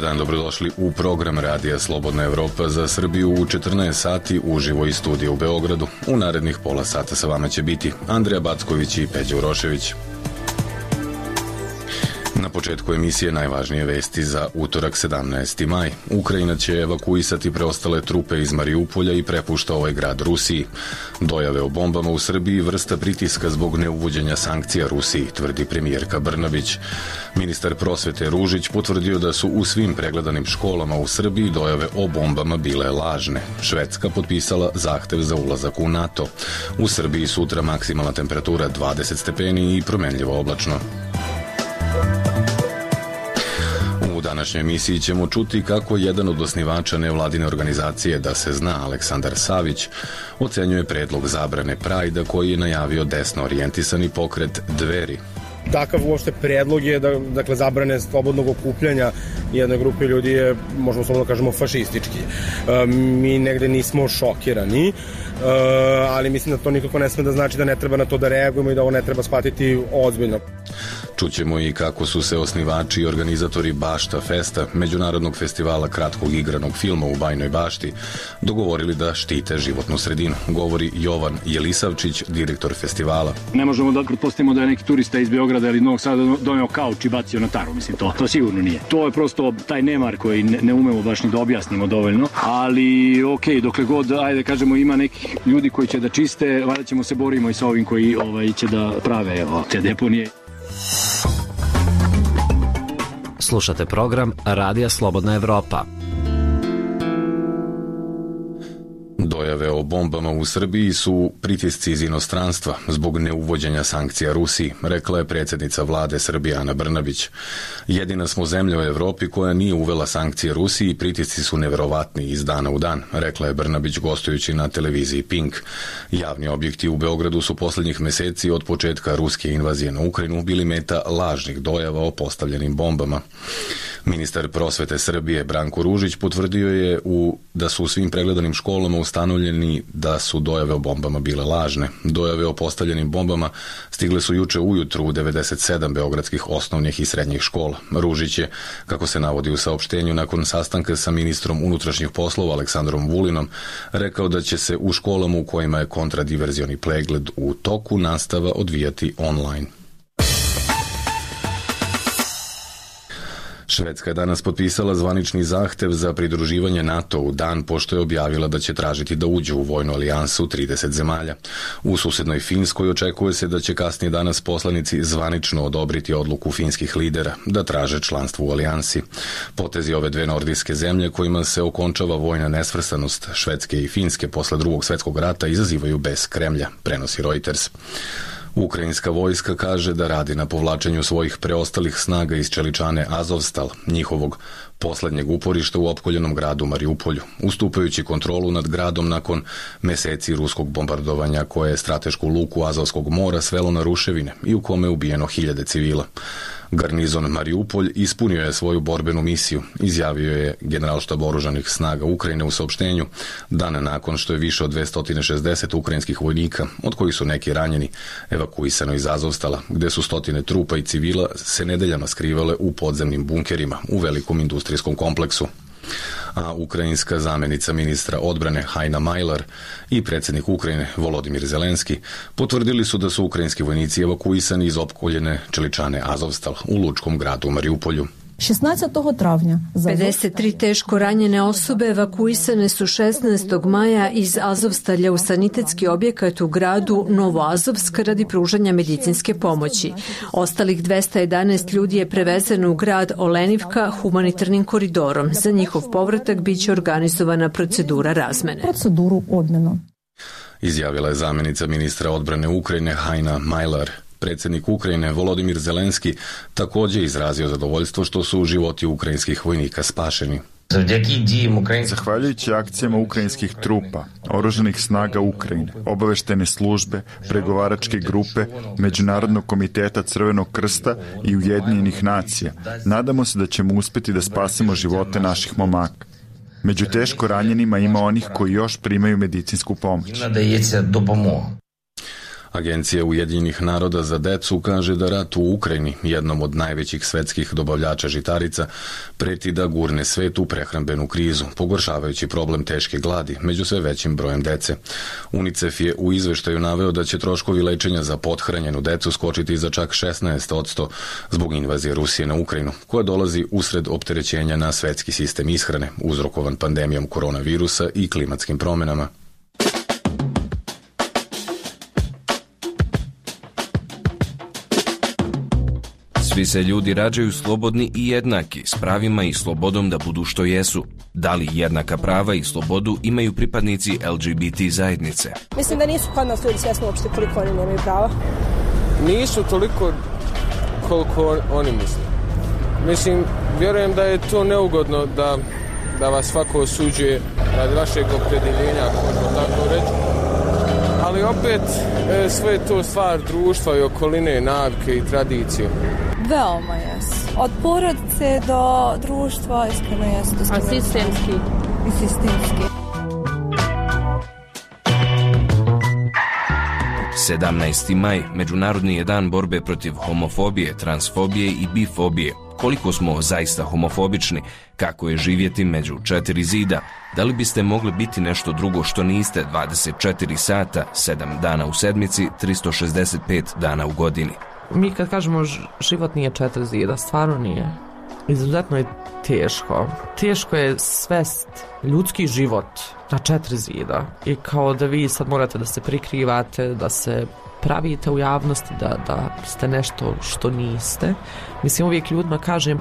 dan, dobrodošli u program Radija Slobodna Evropa za Srbiju u 14 sati uživo iz studija u Beogradu. U narednih pola sata sa vama će biti Andreja Backović i Peđa Urošević. Na početku emisije najvažnije vesti za utorak 17. maj. Ukrajina će evakuisati preostale trupe iz Mariupolja i prepušta ovaj grad Rusiji. Dojave o bombama u Srbiji vrsta pritiska zbog neuvođenja sankcija Rusiji, tvrdi premijerka Brnabić. Ministar prosvete Ružić potvrdio da su u svim pregledanim školama u Srbiji dojave o bombama bile lažne. Švedska potpisala zahtev za ulazak u NATO. U Srbiji sutra maksimalna temperatura 20 stepeni i promenljivo oblačno. U današnjoj emisiji ćemo čuti kako jedan od osnivača nevladine organizacije Da se zna, Aleksandar Savić, ocenjuje predlog zabrane Prajda koji je najavio desno orijentisani pokret Dveri. Takav uopšte predlog je dakle zabrane slobodnog okupljanja jedne grupe ljudi je, možemo slobodno kažemo, fašistički. Mi negde nismo šokirani, ali mislim da to nikako ne sme da znači da ne treba na to da reagujemo i da ovo ne treba shvatiti ozbiljno. Čućemo i kako su se osnivači i organizatori Bašta Festa, međunarodnog festivala kratkog igranog filma u Bajnoj Bašti, dogovorili da štite životnu sredinu, govori Jovan Jelisavčić, direktor festivala. Ne možemo da pretpostavimo da je neki turista iz Beograda ili Novog Sada doneo kauč i bacio na taru, mislim, to sigurno nije. To je prosto taj nemar koji ne umemo baš ni da objasnimo dovoljno, ali okej, dokle god, ajde kažemo, ima nekih ljudi koji će da čiste, valjda ćemo se borimo i sa ovim koji će da prave te deponije. Slušate program Radija Slobodna Evropa. Dojave o bombama u Srbiji su pritisci iz inostranstva zbog neuvođenja sankcija Rusiji, rekla je predsjednica vlade Srbije Ana Brnabić. Jedina smo zemlja u Evropi koja nije uvela sankcije Rusiji i pritisci su neverovatni iz dana u dan, rekla je Brnabić gostujući na televiziji Pink. Javni objekti u Beogradu su posljednjih meseci od početka ruske invazije na Ukrajinu bili meta lažnih dojava o postavljenim bombama. Ministar prosvete Srbije Branko Ružić potvrdio je da su u svim pregledanim školama ustanovljeni da su dojave o bombama bile lažne. Dojave o postavljenim bombama stigle su juče ujutru u 97 beogradskih osnovnih i srednjih škola. Ružić je, kako se navodi u saopštenju, nakon sastanka sa ministrom unutrašnjih poslova Aleksandrom Vulinom, rekao da će se u školama u kojima je kontradiverzioni pregled u toku nastava odvijati online. Švedska je danas potpisala zvanični zahtev za pridruživanje NATO u dan pošto je objavila da će tražiti da uđe u vojnu alijansu 30 zemalja. U susednoj Finskoj očekuje se da će kasnije danas poslanici zvanično odobriti odluku finskih lidera da traže članstvo u alijansi. Potezi ove dve nordijske zemlje kojima se okončava vojna nesvrstanost Švedske i Finske posle Drugog svjetskog rata izazivaju bes Kremlja, prenosi Reuters. Ukrajinska vojska kaže da radi na povlačenju svojih preostalih snaga iz čeličane Azovstal, njihovog poslednjeg uporišta u opkoljenom gradu Mariupolju, ustupajući kontrolu nad gradom nakon meseci ruskog bombardovanja koje je stratešku luku Azovskog mora svelo na ruševine i u kome je ubijeno hiljade civila. Garnizon Mariupolj ispunio je svoju borbenu misiju, izjavio je generalštab oružanih snaga Ukrajine u saopštenju, dan nakon što je više od 260 ukrajinskih vojnika, od kojih su neki ranjeni, evakuisano iz Azovstala, gde su stotine trupa i civila se nedeljama skrivale u podzemnim bunkerima u velikom industrijskom kompleksu. A ukrajinska zamenica ministra odbrane Hajna Majlar i predsjednik Ukrajine Volodimir Zelenski potvrdili su da su ukrajinski vojnici evakuisani iz opkoljene čeličane Azovstal u lučkom gradu Mariupolju. 16. travnja 53 teško ranjene osobe evakuisane su 16. maja iz Azovstalja u sanitetski objekat u gradu Novoazovsk radi pružanja medicinske pomoći. Ostalih 211 ljudi je prevezeno u grad Olenivka humanitarnim koridorom. Za njihov povratak biće organizovana procedura razmene. Izjavila je zamenica ministra odbrane Ukrajine Hajna Majlar. Predsjednik Ukrajine Volodimir Zelenski također izrazio zadovoljstvo što su životi ukrajinskih vojnika spašeni. Zahvaljujući akcijama ukrajinskih trupa, oružanih snaga Ukrajine, obaveštene službe, pregovaračke grupe, Međunarodnog komiteta Crvenog krsta i Ujedinjenih nacija, nadamo se da ćemo uspjeti da spasimo živote naših momaka. Među teško ranjenima ima onih koji još primaju medicinsku pomoć. Agencija Ujedinjenih naroda za decu kaže da rat u Ukrajini, jednom od najvećih svetskih dobavljača žitarica, preti da gurne svet u prehrambenu krizu, pogoršavajući problem teške gladi među sve većim brojem dece. UNICEF je u izveštaju naveo da će troškovi lečenja za pothranjenu decu skočiti za čak 16% zbog invazije Rusije na Ukrajinu, koja dolazi usred opterećenja na svetski sistem ishrane, uzrokovan pandemijom koronavirusa i klimatskim promenama. Svi se ljudi rađaju slobodni i jednaki, s pravima i slobodom da budu što jesu. Da li jednaka prava i slobodu imaju pripadnici LGBT zajednice? Mislim da nisu kod nas ljudi svjesni uopšte koliko oni nemaju prava. Nisu toliko koliko oni misle. Mislim, vjerujem da je to neugodno da vas svako osuđuje radi vašeg opredjeljenja, ako možemo tako reći. Ali opet sve je to stvar društva i okoline, navike i tradicije. Veoma jesu. Od porodice do društva iskreno jesu. A sistemski? I sistemski. 17. maj, Međunarodni je dan borbe protiv homofobije, transfobije i bifobije. Koliko smo zaista homofobični, kako je živjeti među 4 zida, da li biste mogli biti nešto drugo što niste 24 sata, 7 dana u sedmici, 365 dana u godini? Mi kad kažemo život nije 4 zida, stvarno nije. Izuzetno je teško. Teško je svest ljudski život na 4 zida. I kao da vi sad morate da se prikrivate, da se pravite u javnosti, da ste nešto što niste. Mislim, uvijek ljudima kažem,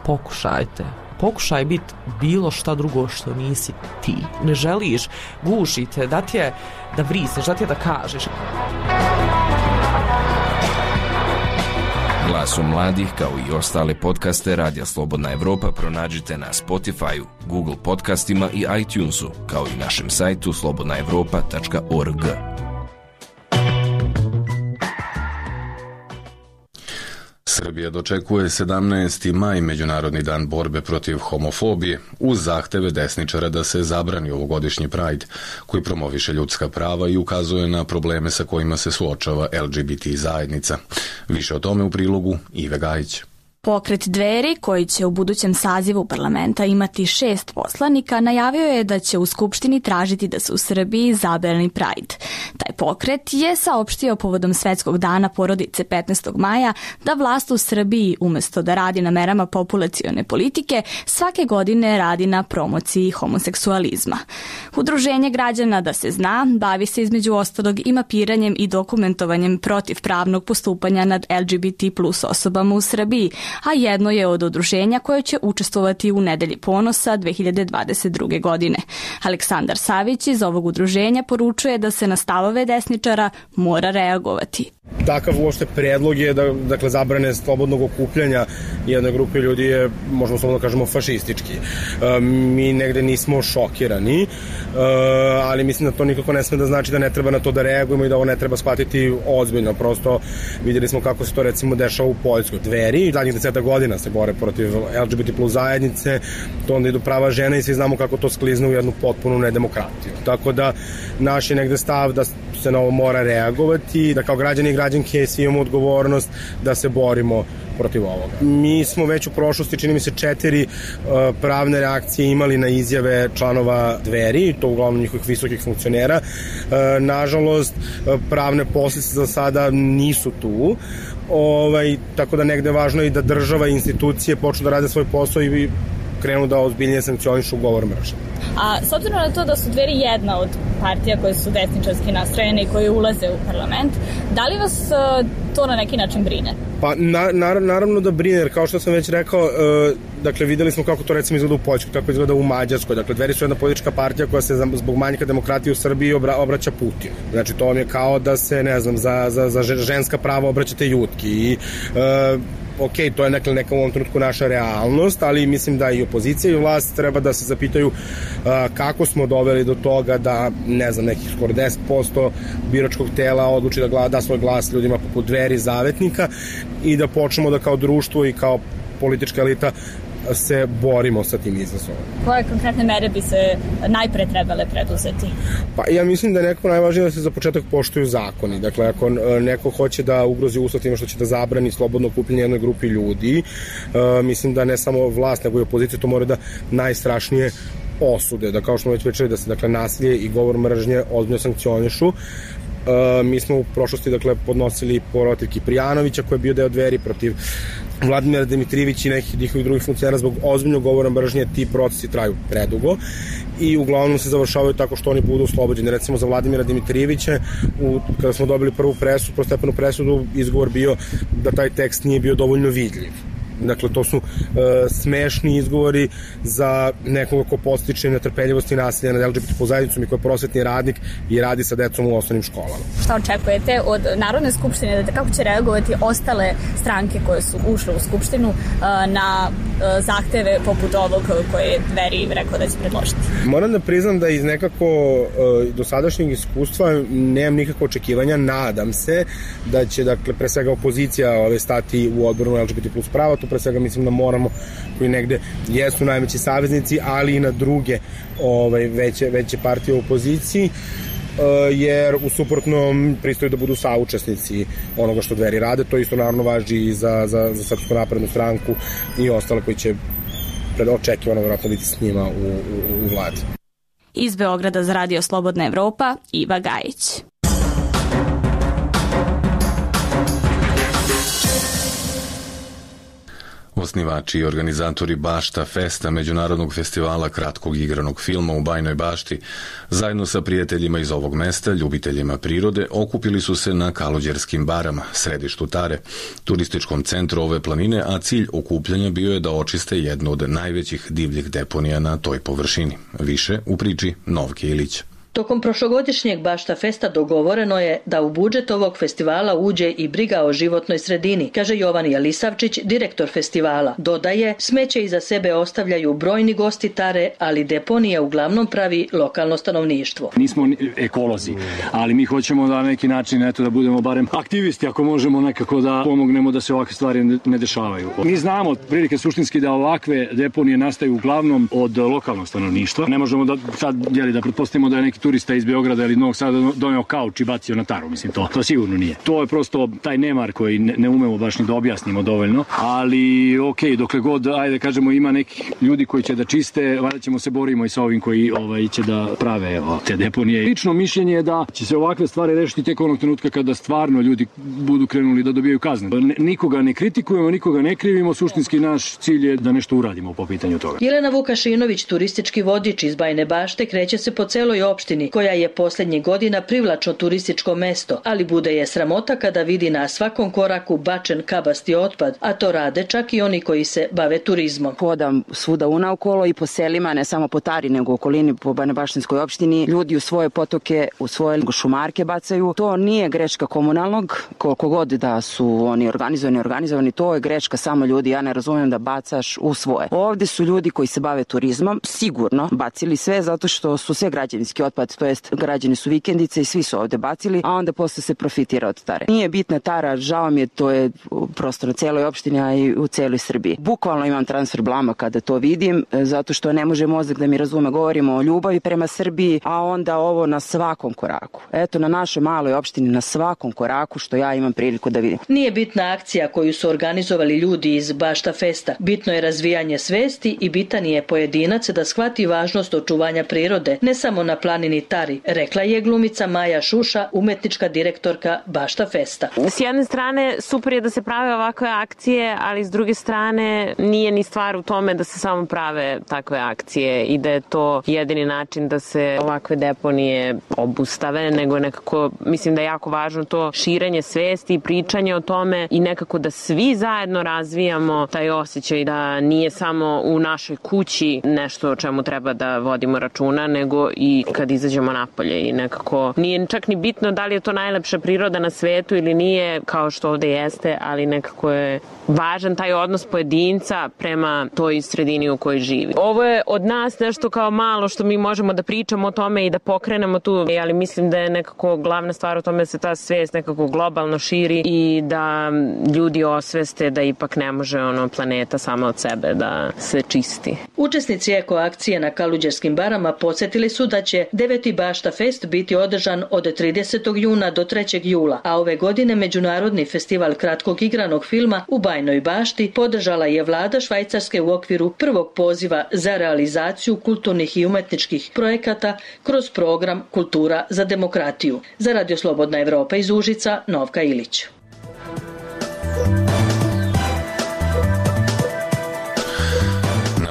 pokušajte. Pokušaj biti bilo šta drugo što nisi ti. Ne želiš, gušite, da ti je da vrisneš, da ti je da kažeš. Glasom mladih, kao i ostale podcaste Radija Slobodna Evropa pronađite na Spotify-u, Google podcastima i iTunesu, kao i našem sajtu slobodnaevropa.org. Srbija dočekuje 17. maj, Međunarodni dan borbe protiv homofobije, uz zahteve desničara da se zabrani ovogodišnji Pride, koji promoviše ljudska prava i ukazuje na probleme sa kojima se suočava LGBT zajednica. Više o tome u prilogu Ive Gajić. Pokret Dveri, koji će u budućem sazivu parlamenta imati 6 poslanika, najavio je da će u Skupštini tražiti da se u Srbiji zabrani Pride. Taj pokret je saopštio povodom Svetskog dana porodice 15. maja da vlast u Srbiji, umjesto da radi na merama populacione politike, svake godine radi na promociji homoseksualizma. Udruženje građana Da se zna bavi se između ostalog i mapiranjem i dokumentovanjem protivpravnog postupanja nad LGBT plus osobama u Srbiji, a jedno je od udruženja koje će učestvovati u Nedelji ponosa 2022. godine. Aleksandar Savić iz ovog udruženja poručuje da se na stavove desničara mora reagovati. Takav uopšte predlog je da zabrane slobodnog okupljanja jedne grupe ljudi je, možemo slobodno kažemo, fašistički. Mi negde nismo šokirani, ali mislim da to nikako ne sme da znači da ne treba na to da reagujemo i da ovo ne treba shvatiti ozbiljno. Prosto vidjeli smo kako se to recimo dešava u Poljskoj. Dveri, zadnjih 10 godina se bore protiv LGBT plus zajednice, to onda idu prava žena i svi znamo kako to sklizne u jednu potpunu nedemokratiju. Tako da naš je negde stav da se na ovo mora reagovati, da kao građani i građanke svi imamo odgovornost da se borimo protiv ovoga. Mi smo već u prošlosti, čini mi se, 4 pravne reakcije imali na izjave članova Dveri, to uglavnom njihovih visokih funkcionera. Nažalost, pravne posljedice za sada nisu tu. Tako da negde je važno i da država i institucije počnu da rade svoj posao i krenu da ozbiljnije sankcionišu govor mržnje. A s obzirom na to da su Dveri jedna od partija koje su desničarski nastrojene i koje ulaze u parlament, da li vas to na neki način brine? Pa naravno da brine, jer kao što sam već rekao, dakle videli smo kako to recimo izgleda u Poljskoj, kako izgleda u Mađarskoj. Dakle, Dveri su jedna politička partija koja se zbog manjka demokratije u Srbiji obraća Putinu. Znači, to vam je kao da se, ne znam, za ženska prava obraćate Jutki i ok, to je neka u ovom trenutku naša realnost, ali mislim da i opozicija i vlast treba da se zapitaju kako smo doveli do toga da, ne znam, nekih skoro 10% biračkog tela odluči da da svoj glas ljudima poput Dveri, Zavetnika, i da počnemo da kao društvo i kao politička elita se borimo sa tim izazovom. Koje konkretne mere bi se najpre trebale preduzeti? Pa ja mislim da je nekako najvažnije da se za početak poštuju zakoni. Dakle, ako neko hoće da ugrozi uslov time što će da zabrani slobodno okupljanje jednoj grupi ljudi, mislim da ne samo vlast, nego i opozicija to mora da najstrašnije osude, da kao što smo već pričali da se dakle nasilje i govor mržnje ozbiljno sankcionišu. Mi smo u prošlosti podnosili protiv Kiprijanovića koji je bio deo Dveri, protiv Vladimira Dimitrijevića i nekih njihovih drugih funkcionera zbog ozbiljnog govora mržnje. Ti procesi traju predugo i uglavnom se završavaju tako što oni budu oslobođeni. Recimo za Vladimira Dimitrijevića, kada smo dobili prvu prvostepenu presudu, izgovor bio da taj tekst nije bio dovoljno vidljiv. Dakle, to su smešni izgovori za nekoga ko podstiče netrpeljivost i nasilje nad LGBT zajednicom i ko je prosvetni radnik i radi sa decom u osnovnim školama. Šta očekujete od Narodne skupštine, kako će reagovati ostale stranke koje su ušle u skupštinu na zahteve poput ovog koje je Dveri rekao da će predložiti? Moram da priznam da iz nekako dosadašnjeg iskustva nemam nikakve očekivanja. Nadam se da će, dakle, pre svega opozicija stati u odboru LGBT plus prava. To pre svega mislim da moramo, koji negde jesu najveći saveznici, ali i na druge veće partije u opoziciji, jer u suprotnom pristaju da budu saučesnici onoga što Dveri rade. To isto naravno važi i za Srpsku naprednu stranku i ostale koji će očekivano vjerojatno biti s njima u vladi. Iz Beograda za Radio Slobodna Evropa, Iva Gajić. Osnivači i organizatori Bašta Festa, međunarodnog festivala kratkog igranog filma u Bajnoj Bašti, zajedno sa prijateljima iz ovog mesta, ljubiteljima prirode, okupili su se na Kalođerskim barama, središtu Tare, turističkom centru ove planine, a cilj okupljanja bio je da očiste jednu od najvećih divljih deponija na toj površini. Više u priči Novke Ilić. Tokom prošlogodišnjeg Bašta Festa dogovoreno je da u budžet ovog festivala uđe i briga o životnoj sredini, kaže Jovan Jelisavčić, direktor festivala. Dodaje, smeće iza sebe ostavljaju brojni gosti Tare, ali deponije uglavnom pravi lokalno stanovništvo. Nismo ekolozi, ali mi hoćemo da na neki način da budemo barem aktivisti, ako možemo nekako da pomognemo da se ovakve stvari ne dešavaju. Mi znamo prilike suštinski da ovakve deponije nastaju uglavnom od lokalnog stanovništva. Ne možemo da sad da pretpostavimo da je neki turista iz Beograda ili Novog Sada doneo kauč i bacio na Taru, mislim to sigurno nije. To je prosto taj nemar koji ne umemo baš ni da objasnimo dovoljno, ali dokle god, kažemo, ima nekih ljudi koji će da čiste, valjda ćemo se borimo i sa ovim koji će da prave te deponije. Lično mišljenje je da će se ovakve stvari rešiti tek onog trenutka kada stvarno ljudi budu krenuli da dobijaju kazne. Nikoga ne kritikujemo, nikoga ne krivimo, suštinski naš cilj je da nešto uradimo po pitanju toga. Jelena Vukašinović, turistički vodič iz Bajne Bašte, kreće se po celoj opštini, koja je posljednjih godina privlačno turističko mesto, ali bude je sramota kada vidi na svakom koraku bačen kabasti otpad, a to rade čak i oni koji se bave turizmom. Hodam svuda unaokolo i po selima, ne samo po Tari, nego u okolini po Bajnobaštinskoj opštini. Ljudi u svoje potoke, u svoje šumarke bacaju. To nije greška komunalnog, koliko god da su oni organizovani, to je greška samo ljudi. Ja ne razumijem da bacaš u svoje. Ovde su ljudi koji se bave turizmom sigurno bacili sve zato što su sve građevinski otpad, to jest građani su vikendice i svi su ovde bacili, a onda posle se profitira od Tare. Nije bitna Tara, žao mi je, to je prosto na celoj opštini, a i u celoj Srbiji. Bukvalno imam transfer blama kada to vidim, zato što ne može mozak da mi razume. Govorimo o ljubavi prema Srbiji, a onda ovo na svakom koraku. Eto, na našoj maloj opštini na svakom koraku što ja imam priliku da vidim. Nije bitna akcija koju su organizovali ljudi iz Bašta Festa. Bitno je razvijanje svesti i bitan je pojedinac da shvati važnost očuvanja prirode, ne samo na planini Tari, rekla je glumica Maja Šuša, umetnička direktorka Bašta Festa. S jedne strane super je da se prave ovakve akcije, ali s druge strane nije ni stvar u tome da se samo prave takve akcije i da je to jedini način da se ovakve deponije obustave, nego nekako mislim da je jako važno to širenje svesti i pričanje o tome i nekako da svi zajedno razvijamo taj osjećaj da nije samo u našoj kući nešto o čemu treba da vodimo računa, nego i kad izađemo napolje i nekako nije čak ni bitno da li je to najlepša priroda na svetu ili nije, kao što ovde jeste, ali nekako je važan taj odnos pojedinca prema toj sredini u kojoj živi. Ovo je od nas nešto kao malo što mi možemo da pričamo o tome i da pokrenemo tu, ali mislim da je nekako glavna stvar u tome da se ta svest nekako globalno širi i da ljudi osveste da ipak ne može planeta sama od sebe da se čisti. Učesnici eko akcije na Kaluđerskim barama podsjetili su da će 9. Bašta Fest biti održan od 30. juna do 3. jula, a ove godine Međunarodni festival kratkog igranog filma u Bajnoj Bašti podržala je vlada Švajcarske u okviru prvog poziva za realizaciju kulturnih i umetničkih projekata kroz program Kultura za demokratiju. Za Radio Slobodna Evropa iz Užica, Novka Ilić.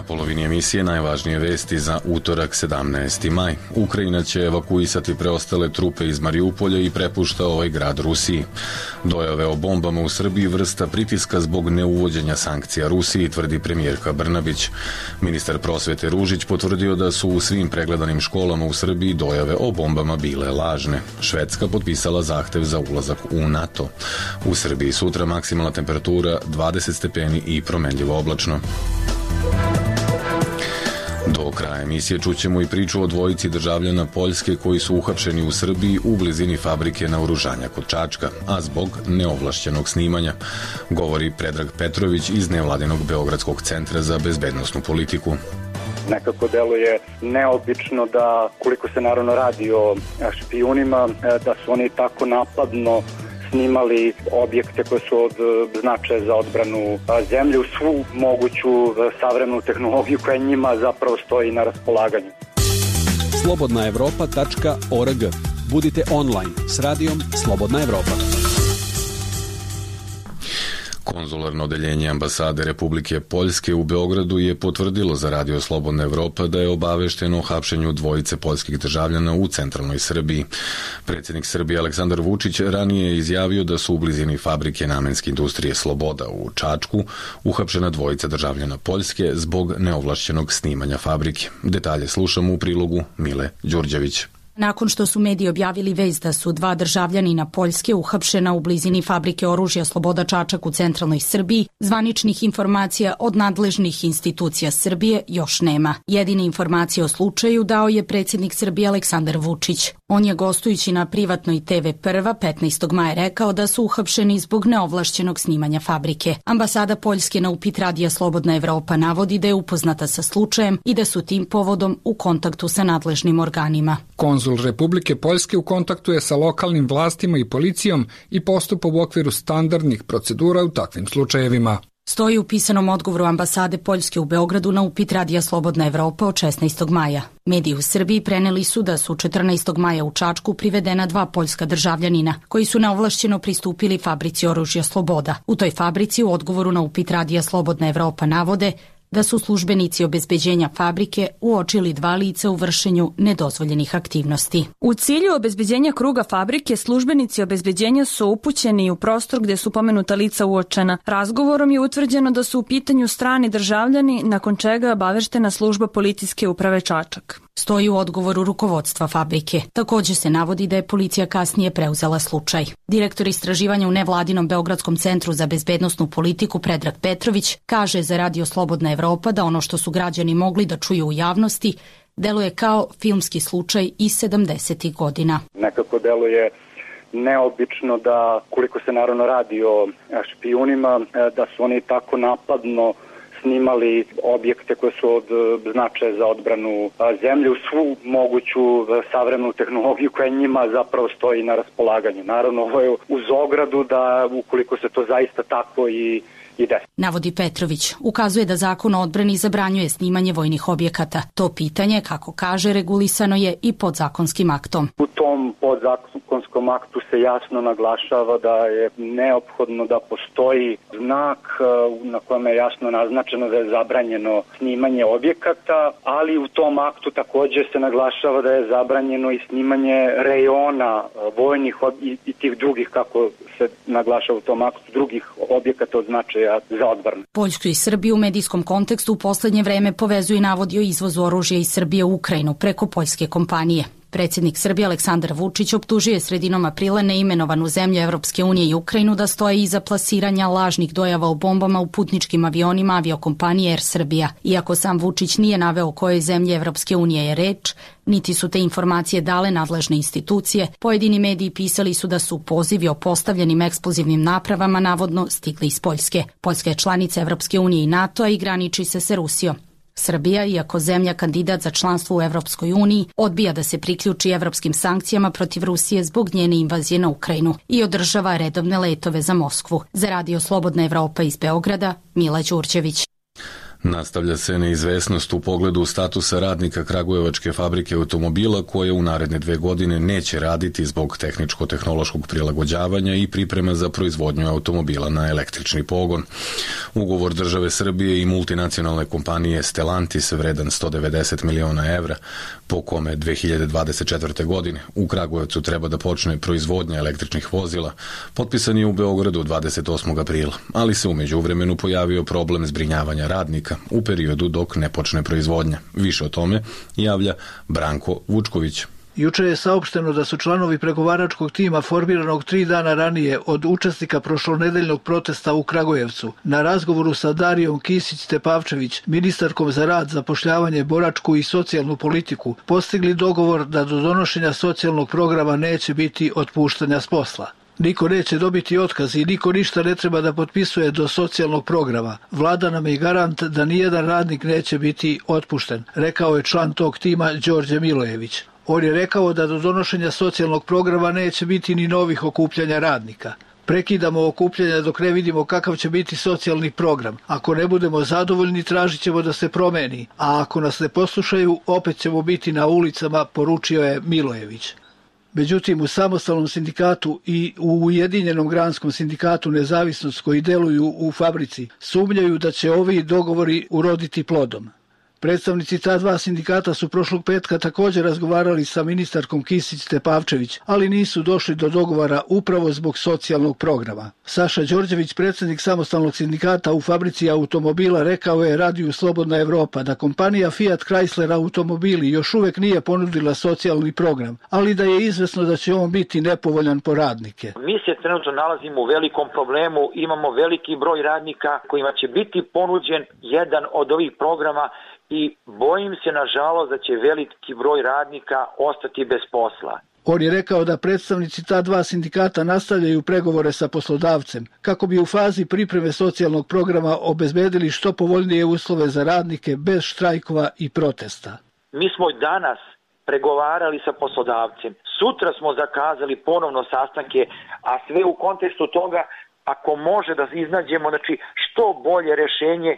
Polovini emisije najvažnije vesti za utorak 17. maj. Ukrajina će evakuisati preostale trupe iz Mariupolja i prepušta ovaj grad Rusiji. Dojave o bombama u Srbiji vrsta pritiska zbog neuvođenja sankcija Rusiji, tvrdi premijerka Brnabić. Ministar prosvete Ružić potvrdio da su u svim pregledanim školama u Srbiji dojave o bombama bile lažne. Švedska potpisala zahtev za ulazak u NATO. U Srbiji sutra maksimalna temperatura 20 stepeni i promenljivo oblačno. Do kraja emisije čućemo i priču o dvojici državljana Poljske koji su uhapšeni u Srbiji u blizini fabrike naoružanja kod Čačka, a zbog neovlašćenog snimanja, govori Predrag Petrović iz nevladinog Beogradskog centra za bezbednosnu politiku. Nekako deluje neobično da, koliko se naravno radi o špijunima, da su oni tako napadno snimali objekte koje su od značaja za odbranu zemlje u svu moguću savremenu tehnologiju koja njima zapravo stoji na raspolaganju. slobodnaevropa.org. Budite online s radijom Slobodna Evropa. Konzularno odeljenje ambasade Republike Poljske u Beogradu je potvrdilo za Radio Slobodna Evropa da je obavešteno o hapšenju dvojice poljskih državljana u centralnoj Srbiji. Predsjednik Srbije Aleksandar Vučić ranije je izjavio da su u blizini fabrike namenske industrije Sloboda u Čačku uhapšena dvojica državljana Poljske zbog neovlašćenog snimanja fabrike. Detalje slušamo u prilogu Mile Đurđević. Nakon što su mediji objavili vest da su 2 državljanina Poljske uhapšena u blizini fabrike oružja Sloboda Čačak u centralnoj Srbiji, zvaničnih informacija od nadležnih institucija Srbije još nema. Jedine informacije o slučaju dao je predsjednik Srbije Aleksandar Vučić. On je gostujući na privatnoj TV Prva 15. maja rekao da su uhapšeni zbog neovlašćenog snimanja fabrike. Ambasada Poljske na upit Radija Slobodna Evropa navodi da je upoznata sa slučajem i da su tim povodom u kontaktu sa nadležnim organima. Konzul Republike Poljske u kontaktu je sa lokalnim vlastima i policijom i postupa u okviru standardnih procedura u takvim slučajevima. Stoji u pisanom odgovoru ambasade Poljske u Beogradu na upit Radija Slobodna Evropa od 16. maja. Mediji u Srbiji preneli su da su 14. maja u Čačku privedena 2 poljska državljanina koji su neovlašćeno pristupili fabrici oružja Sloboda. U toj fabrici u odgovoru na upit Radija Slobodna Evropa navode da su službenici obezbeđenja fabrike uočili 2 lica u vršenju nedozvoljenih aktivnosti. U cilju obezbeđenja kruga fabrike, službenici obezbeđenja su upućeni u prostor gdje su pomenuta lica uočena. Razgovorom je utvrđeno da su u pitanju strani državljani, nakon čega je obaveštena služba policijske uprave Čačak. Stoji u odgovoru rukovodstva fabrike. Također se navodi da je policija kasnije preuzela slučaj. Direktor istraživanja u nevladinom Beogradskom centru za bezbednosnu politiku Predrag Petrović kaže za Radio Slobodna Evropa da ono što su građani mogli da čuju u javnosti deluje kao filmski slučaj iz 70. godina. Nekako deluje neobično da, koliko se naravno radi o špijunima, da su oni tako napadno snimali objekte koje su od značaja za odbranu zemlje u svu moguću savremenu tehnologiju koja njima zapravo stoji na raspolaganju. Naravno, ovo je uz ogradu da ukoliko se to zaista tako i ide. Navodi Petrović. Ukazuje da zakon o odbrani zabranjuje snimanje vojnih objekata. To pitanje, kako kaže, regulisano je i podzakonskim aktom. U tom podzakonskom aktu se jasno naglašava da je neophodno da postoji znak na kojem je jasno naznačeno da je zabranjeno snimanje objekata, ali u tom aktu također se naglašava da je zabranjeno i snimanje rejona vojnih i tih drugih, kako se naglašava u tom aktu, drugih objekata od značaja za odbranu. Poljsku i Srbiju u medijskom kontekstu u poslednje vreme povezuje navodi o izvozu oružja iz Srbije u Ukrajinu preko poljske kompanije. Predsjednik Srbije Aleksandar Vučić optužio je sredinom aprila neimenovanu zemlju Evropske unije i Ukrajinu da stoje iza plasiranja lažnih dojava o bombama u putničkim avionima aviokompanije Air Srbija. Iako sam Vučić nije naveo o kojoj zemlji Evropske unije je reč, niti su te informacije dale nadležne institucije, pojedini mediji pisali su da su pozivi o postavljenim eksplozivnim napravama navodno stigli iz Poljske. Poljska je članica Evropske unije i NATO-a i graniči se sa Rusijom. Srbija, iako zemlja kandidat za članstvo u Evropskoj uniji, odbija da se priključi evropskim sankcijama protiv Rusije zbog njene invazije na Ukrajinu i održava redovne letove za Moskvu. Za Radio Slobodna Evropa iz Beograda, Mila Đurđević. Nastavlja se neizvesnost u pogledu statusa radnika Kragujevačke fabrike automobila koje u naredne 2 godine neće raditi zbog tehničko-tehnološkog prilagođavanja i priprema za proizvodnju automobila na električni pogon. Ugovor države Srbije i multinacionalne kompanije Stellantis vredan 190 miliona evra, po kome 2024. godine u Kragujevcu treba da počne proizvodnja električnih vozila, potpisan je u Beogradu 28. aprila, ali se u međuvremenu pojavio problem zbrinjavanja radnika u periodu dok ne počne proizvodnja. Više o tome javlja Branko Vučković. Juče je saopšteno da su članovi pregovaračkog tima formiranog 3 dana ranije od učesnika prošlonedeljnog protesta u Kragujevcu na razgovoru sa Darijom Kisić-Tepavčević, ministarkom za rad, zapošljavanje, boračku i socijalnu politiku, postigli dogovor da do donošenja socijalnog programa neće biti otpuštanja s posla. Niko neće dobiti otkaz i niko ništa ne treba da potpisuje do socijalnog programa. Vlada nam je garant da nijedan radnik neće biti otpušten, rekao je član tog tima Đorđe Milojević. On je rekao da do donošenja socijalnog programa neće biti ni novih okupljanja radnika. Prekidamo okupljanja dok ne vidimo kakav će biti socijalni program. Ako ne budemo zadovoljni, tražit ćemo da se promeni, a ako nas ne poslušaju, opet ćemo biti na ulicama, poručio je Milojević. Međutim, u samostalnom sindikatu i u Ujedinjenom granskom sindikatu Nezavisnost koji deluju u fabrici sumnjaju da će ovi dogovori uroditi plodom. Predstavnici ta 2 sindikata su prošlog petka također razgovarali sa ministarkom Kisić-Tepavčević, ali nisu došli do dogovora upravo zbog socijalnog programa. Saša Đorđević, predsjednik samostalnog sindikata u fabrici automobila, rekao je Radiju Slobodna Evropa da kompanija Fiat Chrysler automobili još uvek nije ponudila socijalni program, ali da je izvesno da će on biti nepovoljan po radnike. Mi se trenutno nalazimo u velikom problemu, imamo veliki broj radnika kojima će biti ponuđen jedan od ovih programa i bojim se nažalost da će veliki broj radnika ostati bez posla. On je rekao da predstavnici ta 2 sindikata nastavljaju pregovore sa poslodavcem kako bi u fazi pripreme socijalnog programa obezbedili što povoljnije uslove za radnike bez štrajkova i protesta. Mi smo danas pregovarali sa poslodavcem. Sutra smo zakazali ponovno sastanke, a sve u kontekstu toga ako može da iznađemo što bolje rešenje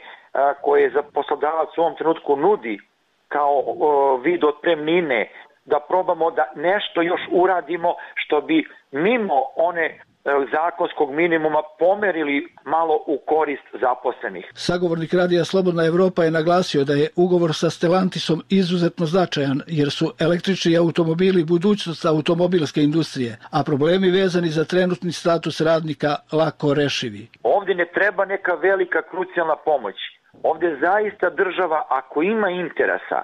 koje za poslodavac u ovom trenutku nudi kao vid otpremnine, da probamo da nešto još uradimo što bi mimo one zakonskog minimuma pomerili malo u korist zaposlenih. Sagovornik Radija Slobodna Evropa je naglasio da je ugovor sa Stellantisom izuzetno značajan jer su električni automobili budućnost automobilske industrije, a problemi vezani za trenutni status radnika lako rešivi. Ovdje ne treba neka velika krucijalna pomoć. Ovdje zaista država, ako ima interesa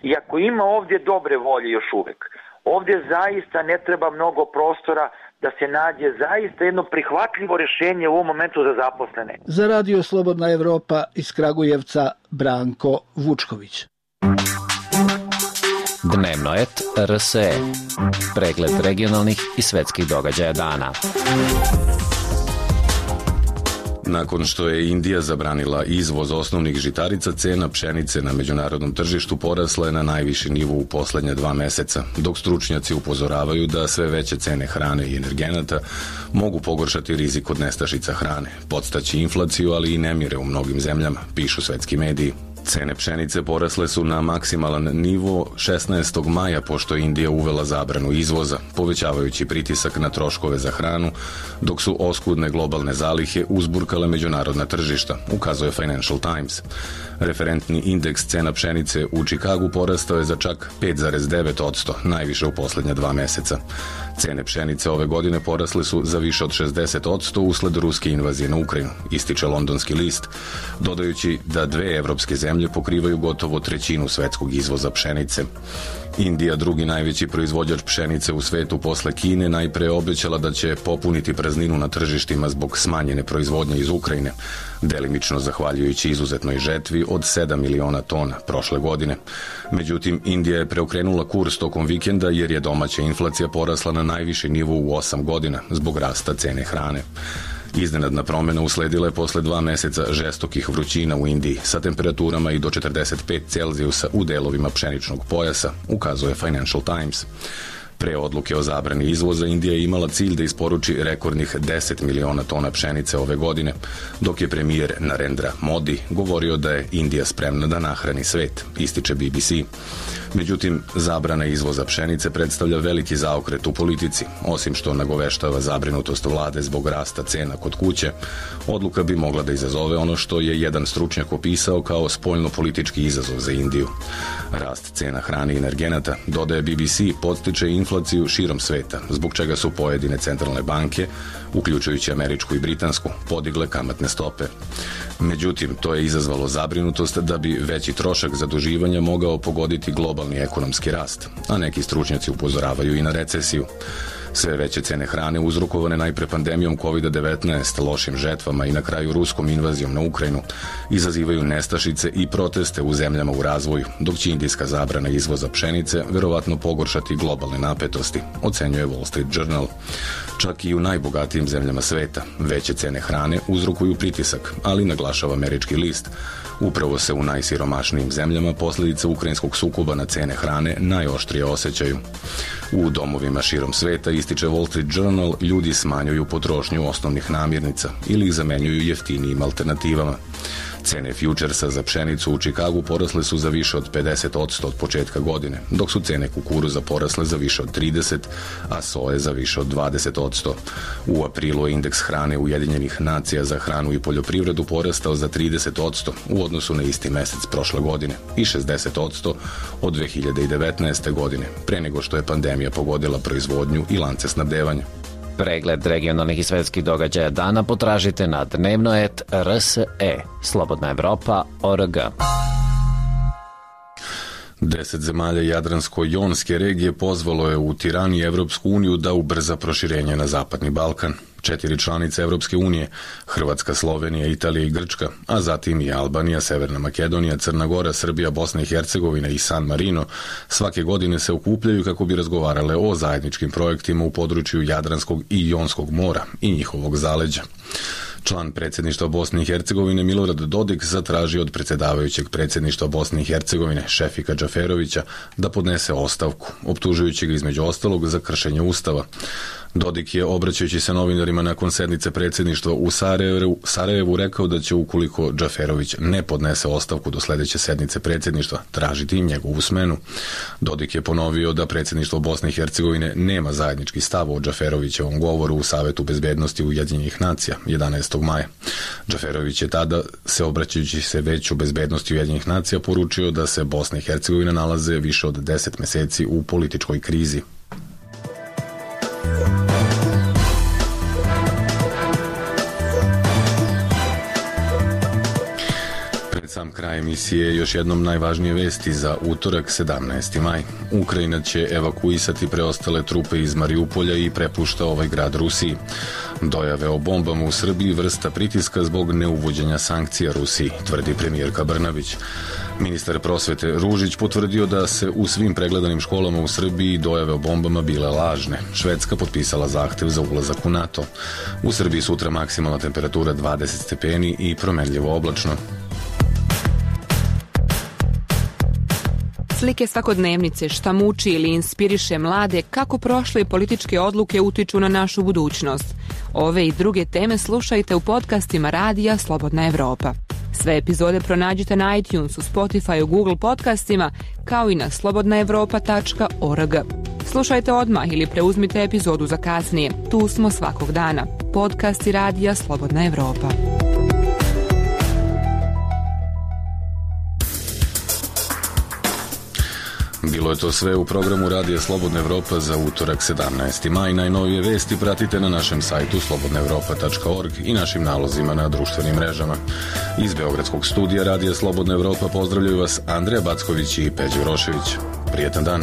i ako ima ovdje dobre volje još uvek, ovdje zaista ne treba mnogo prostora da se nađe zaista jedno prihvatljivo rješenje u ovom momentu za zaposlene. Za Radio Slobodna Evropa iz Kragujevca, Branko Vučković. Dnevnoet RSE. Pregled regionalnih i svetskih događaja dana. Nakon što je Indija zabranila izvoz osnovnih žitarica, cena pšenice na međunarodnom tržištu porasla je na najviši nivo u poslednja 2 meseca, dok stručnjaci upozoravaju da sve veće cene hrane i energenata mogu pogoršati rizik od nestašica hrane, podstaći inflaciju, ali i nemire u mnogim zemljama, pišu svetski mediji. Cene pšenice porasle su na maksimalan nivo 16. maja pošto je Indija uvela zabranu izvoza, povećavajući pritisak na troškove za hranu, dok su oskudne globalne zalihe uzburkale međunarodna tržišta, ukazuje Financial Times. Referentni indeks cena pšenice u Čikagu porastao je za čak 5,9%, najviše u poslednja 2 meseca. Cene pšenice ove godine porasle su za više od 60% usled ruske invazije na Ukrajinu, ističe londonski list, dodajući da 2 evropske zemlje zemlje pokrivaju gotovo trećinu svetskog izvoza pšenice. Indija, drugi najveći proizvođač pšenice u svetu posle Kine, najpre obećala da će popuniti prazninu na tržištima zbog smanjene proizvodnje iz Ukrajine, delimično zahvaljujući izuzetnoj žetvi od 7 miliona tona prošle godine. Međutim, Indija je preokrenula kurs tokom vikenda jer je domaća inflacija porasla na najviši nivo u 8 godina zbog rasta cene hrane. Iznenadna promjena usledila je posle 2 meseca žestokih vrućina u Indiji sa temperaturama i do 45 Celzijusa u delovima pšeničnog pojasa, ukazuje Financial Times. Pre odluke o zabrani izvoza, Indija je imala cilj da isporuči rekordnih 10 miliona tona pšenice ove godine, dok je premijer Narendra Modi govorio da je Indija spremna da nahrani svet, ističe BBC. Međutim, zabrana izvoza pšenice predstavlja veliki zaokret u politici. Osim što nagoveštava zabrinutost vlade zbog rasta cena kod kuće, odluka bi mogla da izazove ono što je jedan stručnjak opisao kao spoljno-politički izazov za Indiju. Rast cena hrane i energenata, dodaje BBC, podstiče inflaciju širom sveta, zbog čega su pojedine centralne banke, uključujući američku i britansku, podigle kamatne stope. Međutim, to je izazvalo zabrinutost da bi veći trošak zaduživanja mogao pogoditi globalni ekonomski rast, a neki stručnjaci upozoravaju i na recesiju. Sve veće cene hrane uzrokovane najpre pandemijom COVID-19, lošim žetvama i na kraju ruskom invazijom na Ukrajinu izazivaju nestašice i proteste u zemljama u razvoju, dok će indijska zabrana izvoza pšenice verovatno pogoršati globalne napetosti, ocenjuje Wall Street Journal. Čak i u najbogatijim zemljama sveta veće cene hrane uzrokuju pritisak, ali naglašava američki list. Upravo se u najsiromašnijim zemljama posljedice ukrajinskog sukoba na cene hrane najoštrije osjećaju. U domovima širom sveta, ističe Wall Street Journal, ljudi smanjuju potrošnju osnovnih namirnica ili ih zamenjuju jeftinijim alternativama. Cene futuresa za pšenicu u Čikagu porasle su za više od 50% od početka godine, dok su cene kukuruza porasle za više od 30%, a soje za više od 20%. U aprilu je indeks hrane Ujedinjenih nacija za hranu i poljoprivredu porastao za 30% u odnosu na isti mesec prošle godine i 60% od 2019. godine, pre nego što je pandemija pogodila proizvodnju i lance snabdevanja. Pregled regionalnih i svetskih događaja dana potražite na dnevno.rse, slobodnaevropa.org. 10 zemalja Jadransko-jonske regije pozvalo je u Tirani Evropsku uniju da ubrza proširenje na Zapadni Balkan. 4 članice Evropske unije, Hrvatska, Slovenija, Italija i Grčka, a zatim i Albanija, Severna Makedonija, Crna Gora, Srbija, Bosna i Hercegovina i San Marino, svake godine se okupljaju kako bi razgovarale o zajedničkim projektima u području Jadranskog i Jonskog mora i njihovog zaleđa. Član predsjedništva Bosne i Hercegovine Milorad Dodik zatražio od predsjedavajućeg predsjedništva Bosne i Hercegovine Šefika Džaferovića da podnese ostavku, optužujući ga između ostalog za kršenje Ustava. Dodik je, obraćajući se novinarima nakon sednice predsjedništva u Sarajevu, rekao da će, ukoliko Džaferović ne podnese ostavku do sljedeće sednice predsjedništva, tražiti im njegovu smenu. Dodik je ponovio da predsjedništvo Bosne i Hercegovine nema zajednički stav o Džaferovićevom govoru u Savetu bezbednosti Ujedinjenih nacija 11. maja. Džaferović je tada, se obraćajući se Veću bezbednosti Ujedinjenih nacija, poručio da se Bosna i Hercegovina nalaze više od 10 meseci u političkoj krizi. Sam kraj emisije još jednom najvažnije vesti za utorak 17. maj. Ukrajina će evakuisati preostale trupe iz Mariupolja i prepušta ovaj grad Rusiji. Dojave o bombama u Srbiji vrsta pritiska zbog neuvođenja sankcija Rusiji, tvrdi premijerka Brnabić. Ministar prosvete Ružić potvrdio da se u svim pregledanim školama u Srbiji dojave o bombama bile lažne. Švedska potpisala zahtev za ulazak u NATO. U Srbiji sutra maksimalna temperatura 20 stepeni i promenljivo oblačno. Slike svakodnevnice, šta muči ili inspiriše mlade, kako prošle političke odluke utiču na našu budućnost. Ove i druge teme slušajte u podcastima Radija Slobodna Evropa. Sve epizode pronađite na iTunesu, Spotifyu, Google podcastima, kao i na slobodnaevropa.org. Slušajte odmah ili preuzmite epizodu za kasnije. Tu smo svakog dana. Podcasti Radija Slobodna Evropa. Bilo je to sve u programu Radija Slobodna Evropa za utorak 17. maj. Najnovije vesti pratite na našem sajtu slobodnaevropa.org i našim nalozima na društvenim mrežama. Iz Beogradskog studija Radija Slobodna Evropa pozdravljaju vas Andreja Backović i Peđa Urošević. Prijetan dan.